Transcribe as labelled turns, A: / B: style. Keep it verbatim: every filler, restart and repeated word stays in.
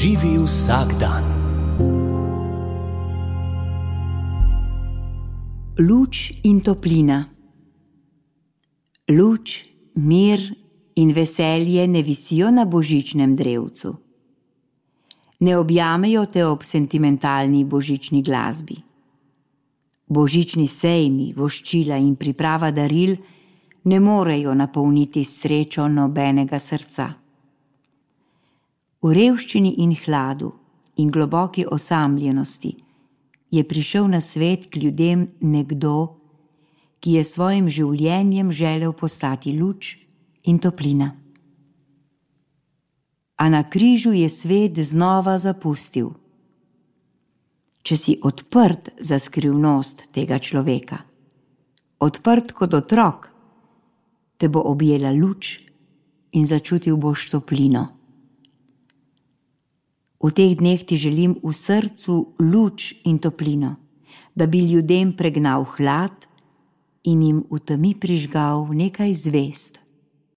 A: Živi vsak dan.
B: Luč in toplina. Luč, mir in veselje ne visijo na božičnem drevcu. Ne objamejo te ob sentimentalni božični glasbi. Božični sejmi, voščila in priprava daril ne morejo napolniti srečo nobenega srca. V revščini in hladu in globoki osamljenosti je prišel na svet k ljudem nekdo, ki je svojim življenjem želel postati luč in toplina. A na križu je svet znova zapustil. Če si odprt za skrivnost tega človeka, odprt kot otrok, te bo objela luč in začutil boš toplino. V teh dneh ti želim v srcu luč in toplino, da bi ljudem pregnal hlad in jim v temi prižgal nekaj zvezd.